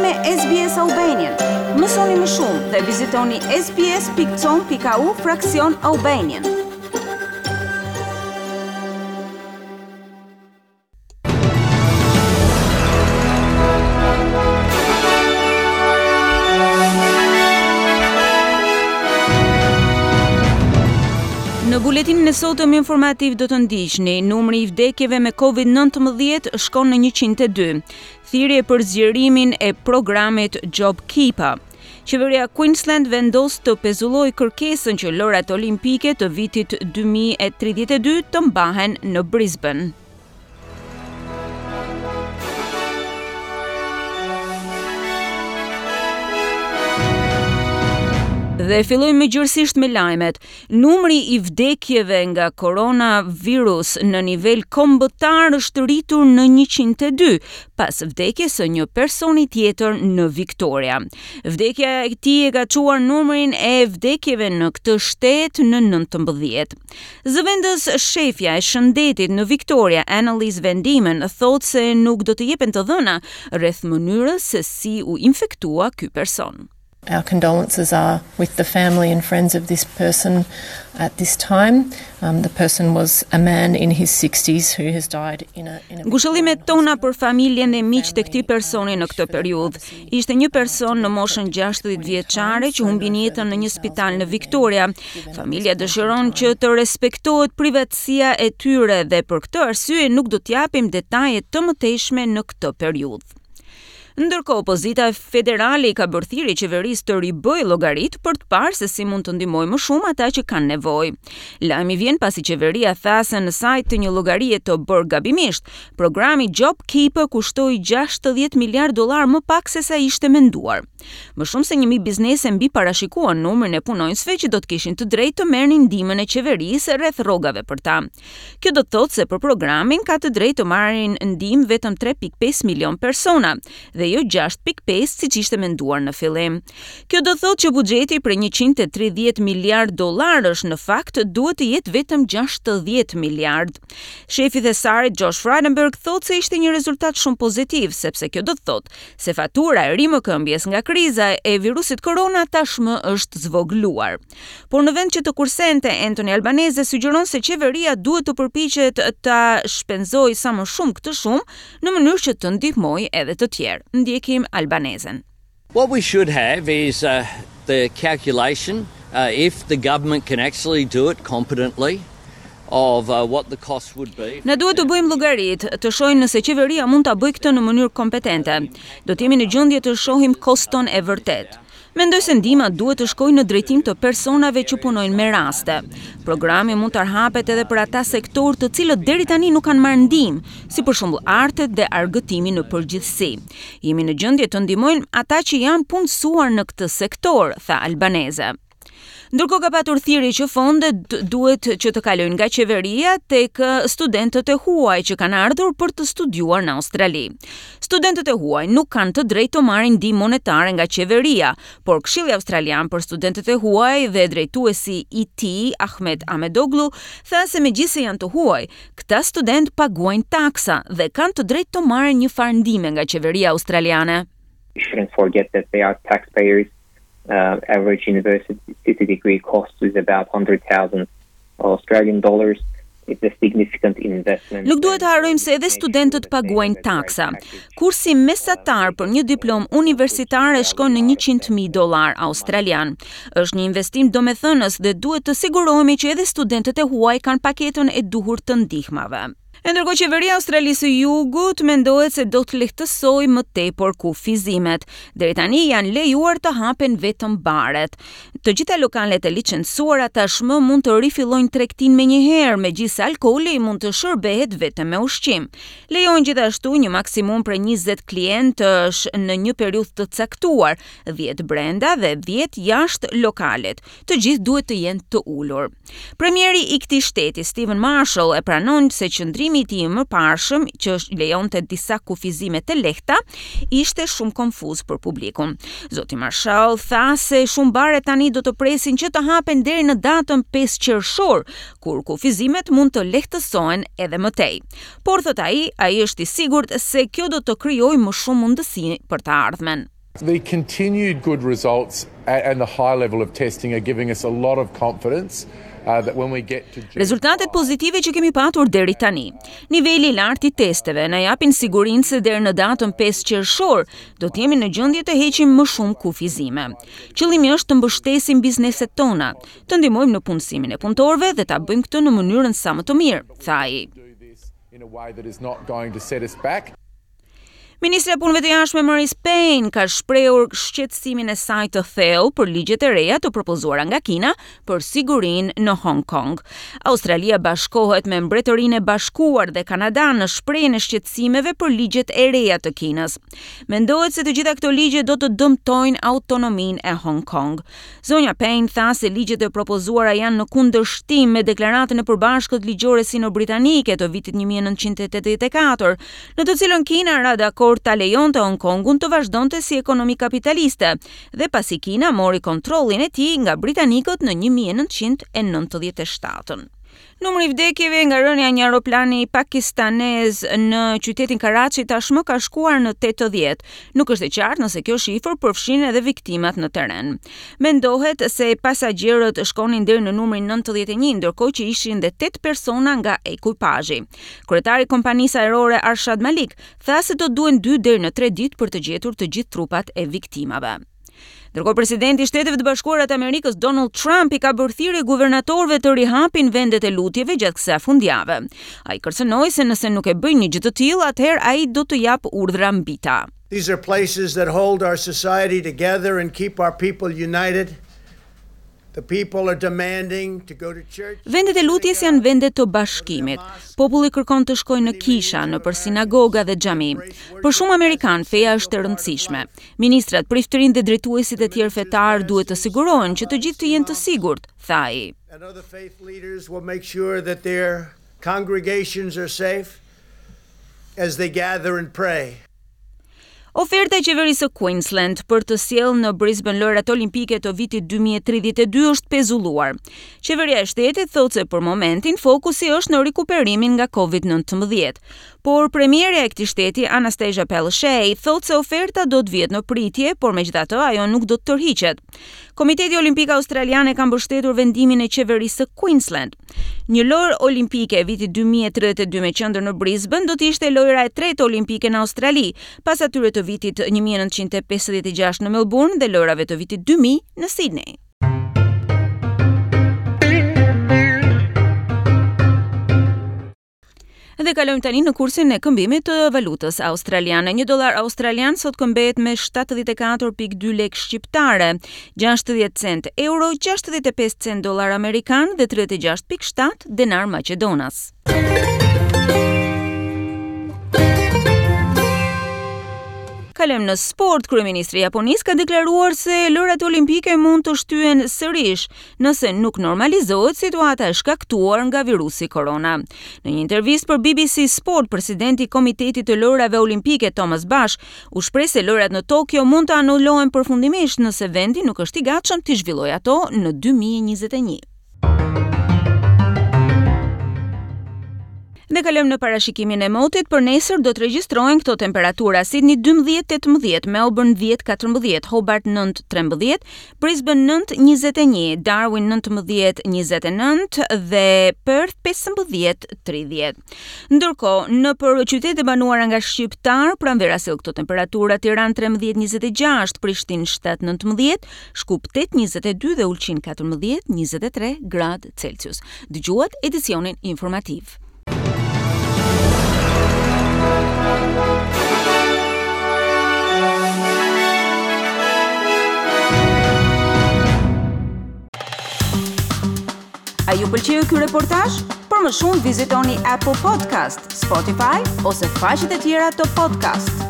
me SBS Albanian. Mësoni më shumë dhe vizitoni sbs.com.au fraksion Albanian. Në buletinin e sotëm informativ do të ndiqni numri i vdekjeve me COVID-19 shkon në 102. Thirrje për zgjerimin e programit JobKeeper. Qeveria Queensland vendos të pezullojë kërkesën që Lojërat Olimpike të vitit 2032 të mbahen në Brisbane. Dhe fillojmë më gjërësisht me lajmet. Numri i vdekjeve nga koronavirus në nivel kombëtar është rritur në 102, pas vdekjes së një personi tjetër në Victoria. Vdekja e tij e ka çuar numrin e vdekjeve në këtë shtet në 19. Zëvendës shefja e shëndetit në Victoria, Annelies Van Diemen, thotë se nuk do të jepen të dhëna rreth mënyrës se si u infektua ky person. Our condolences are with the family and friends of this person at this time. Um, the person was a man in his 60s who has died in a in a Ngushëllimet tona për familjen dhe miqtë e këtij personi në këtë periudhë. Ishte një person në moshën 60 vjeçare që humbi jetën në një spital në Victoria. Familja dëshiron që të respektohet privatësia e tyre dhe për këtë arsye nuk do të japim detaje të mëtejshme në këtë periudhë. Ndërkohë, opozita federale i ka bërë thirrje qeverisë të ribëjë llogaritë për të parë se si mund të ndihmojë më shumë ata që kanë nevojë. Lajmi vjen pasi qeveria tha se në sajë të një llogarie të bërë gabimisht, programi JobKeeper kushtoi 60 miliard dollar më pak se sa ishte menduar. Më shumë se 1000 biznese mbiparashikuan numrin e punonjësve që do të kishin të drejtë të merrnin ndihmën e qeverisë rreth rrogave për ta. Kjo do të thotë se për programin ka të drejtë të marrin ndihmë vetëm 3.5 milion persona dhe jo 6.5 siç ishte menduar në fillim. Kjo do të thotë që buxheti prej 130 miliard dollarësh në fakt duhet të jetë vetëm 60 miliard. Shefi i thesarit Josh Frydenberg thotë se ishte një rezultat shumë pozitiv, sepse kjo do të thotë se fatura e rimëkëmbjes nga kriza e virusit korona tashmë është zvogëluar. Por në vend që të kursente, Anthony Albanese sugjeron se qeveria duhet të përpiqet ta shpenzojë sa më shumë këtë shumë në mënyrë që të ndihmojë edhe të tjerë. Ndjekim Albanesen. What we should have is uh, the calculation uh, if the government can actually do it competently of uh, what the cost would be. Na duhet të bëjmë llogaritë, të shohim nëse qeveria mund ta bëjë këtë në mënyrë kompetente. Do të jemi në gjendje të shohim koston e vërtetë. Mendoj se ndihma duhet të shkojë në drejtim të personave që punojnë me raste. Programi mund të hapet edhe për ata sektorë të cilët deri tani nuk kanë marrë ndihmë, si për shembull artet dhe argëtimi në përgjithësi. Jemi në gjendje të ndihmojmë ata që janë punësuar në këtë sektor, tha Albanese. Ndërkohë ka patur thirrje që fondet duhet që të kalojnë nga qeveria tek studentët e huaj që kanë ardhur për të studiuar në Australi. Studentët e huaj nuk kanë të drejtë të marrin ndihmë monetare nga qeveria, por Këshilli Australian për Studentët e Huaj dhe drejtuesi i tij, Ahmet Ahmedoglu, tha se megjithëse janë të huaj, këta studentë paguajnë taksa dhe kanë të drejtë të marrin një farë ndihme nga qeveria australiane. We shouldn't forget that they are taxpayers uh, average university degree cost is about 100,000 Australian dollars. It's a significant investment. Nuk duhet të harrojmë se edhe studentët paguajnë taksa. Kursi mesatar për një diplomë universitare shkon në 100.000 dollar australian. Është një investim domethënës dhe duhet të sigurohemi që edhe studentët e huaj kanë paketën e duhur të ndihmave. E ndërkohë qeveria e Australisë së Jugut mendohet se do të lehtësojë më tepër kufizimet. Deri tani janë lejuar të hapen vetëm baret. Të gjitha lokalet e licencuara tashmë mund të rifillojnë tregtinë menjëherë, megjithëse alkooli mund të shërbehet vetëm me ushqim. Lejohen gjithashtu një maksimum prej 20 klientësh në një periudhë të caktuar, 10 brenda dhe 10 jashtë lokalit. Të gjithë duhet të jenë të ulur. Premieri i këtij shteti, Steven Marshall, e pranon se qëndrimi i tij i mëparshëm, që lejonte disa kufizime të lehta, ishte shumë konfuz për publikun. Zoti Marshall tha se shumë bare tani do të presin që të hapen deri në datën 5 qershor, kur kufizimet mund të lehtësohen edhe më tej. Por thotë ai, ai është i sigurt se kjo do të krijojë më shumë mundësi për të ardhmen. The continued good results and the high level of testing are giving us a lot of confidence uh, that when we get to Rezultatet pozitive që kemi patur deri tani. Niveli i lartë i testeve na japin sigurinë se deri në datën 5 qershor do të jemi në gjendje të heqim më shumë kufizime. Qëllimi është të mbështesim bizneset tona, të ndihmojmë në punësimin e punëtorëve dhe ta bëjmë këtë në mënyrën sa më të mirë, tha ai. In a way that is not going to set us back. Ministrja e Punëve të Jashtme Marise Payne ka shprehur shqetësimin e saj të thellë për ligjet e reja të propozuara nga Kina për sigurinë në Hong Kong. Australia bashkohet me Mbretërinë e Bashkuar dhe Kanadanë në shprehjen e shqetësimeve për ligjet e reja të Kinës. Mendohet se të gjitha këto ligje do të dëmtojnë autonominë e Hong Kong. Zonja Payne tha se ligjet e propozuara janë në kundërshtim me deklaratën e përbashkët ligjore sino-britanike të vitit 1984, në të cilën Kina ra dakord ta lejonte Hong Kongun të vazhdonte si ekonomi kapitaliste, dhe pasi Kina mori kontrollin e tij nga britanikët në 1997. Numri i vdekjeve nga rënia e një aeroplani pakistanez në qytetin Karachi tashmë ka shkuar në 80. Nuk është e qartë nëse kjo shifër përfshin edhe viktimat në terren. Mendohet se pasagjerët shkonin deri në numrin 91, ndërkohë që ishin dhe 8 persona nga ekuipazhi. Kryetari i kompanisë ajrore Arshad Malik tha se do duhen 2 deri në 3 ditë për të gjetur të gjithë trupat e viktimave. Ndërkohë presidenti i Shteteve të Bashkuara të Amerikës Donald Trump i ka bërë thirrje guvernatorëve të rihapin vendet e lutjeve gjatë kësaj fundjave. Ai kërcënoi se nëse nuk e bëjnë një gjë të tillë, atëherë ai do të japë urdhra mbi ta. These are places that hold our society together and keep our people united. The people are demanding to go to church. Vendet e lutjes janë vende të bashkimit. Populli kërkon të shkojë në kisha, nëpër sinagoga dhe xhami. Për shumë amerikanë, feja është e rëndësishme. Ministrat, priftërinjtë dhe drejtuesit e tjerë fetarë duhet të sigurohen që të gjithë të jenë të sigurt, tha ai. And other faith leaders will make sure that their congregations are safe as they gather and pray. Oferta e qeverisë së Queensland për të sjellë në Brisbane Lojërat Olimpike të vitit 2032 është pezulluar. Qeveria e shtetit thotë se për momentin fokusi është në rikuperimin nga COVID-19. Por premierja e këtij shteti Anastasia Palaszczuk thotë se oferta do të vihet në pritje, por megjithatë ajo nuk do të tërhiqet. Komiteti Olimpik Australian e ka mbështetur vendimin e qeverisë së Queensland. Një lojë olimpike e vitit 2032 me qendër në Brisbane do të ishte lojëra e tretë olimpike në Australi, pas atyre të vitit 1956 në Melbourne dhe lojërave të vitit 2000 në Sydney. Dhe kalojmë tani në kursin e këmbimit të valutës australiane. Një dollar australian sot këmbehet me 74.2 lekë shqiptare, 60 cent euro, 65 cent dollar amerikan dhe 36.7 denar maqedonas. Kalojmë në sport. Kryeministri i Japonisë ka deklaruar se Lojërat Olimpike mund të shtyhen sërish nëse nuk normalizohet situata e shkaktuar nga virusi korona. Në një intervistë për BBC Sport, presidenti i Komitetit të Lojërave Olimpike Thomas Bach u shpreh se lojërat në Tokyo mund të anulohen përfundimisht nëse vendi nuk është i gatshëm t'i zhvillojë ato në 2021. Dhe kalojmë në parashikimin e motit, për nesër do të regjistrohen këto temperatura: Sydney 12 18, Melbourne 10 14, Hobart 9 13, Brisbane 9 21, Darwin 19 29 dhe Perth 15 30. Ndërkohë, nëpër qytetet e banuara nga shqiptarë, pranvera sjell këto temperatura: Tiranë 13 26, Prishtinë 7 19, Shkup 8 22 dhe Ulqin 14 23 gradë Celsius. Dëgjuat edicionin informativ. A ju pëlqeu ky reportazh? Për më shumë vizitoni Apple Podcast, Spotify ose faqet e tjera të podcast.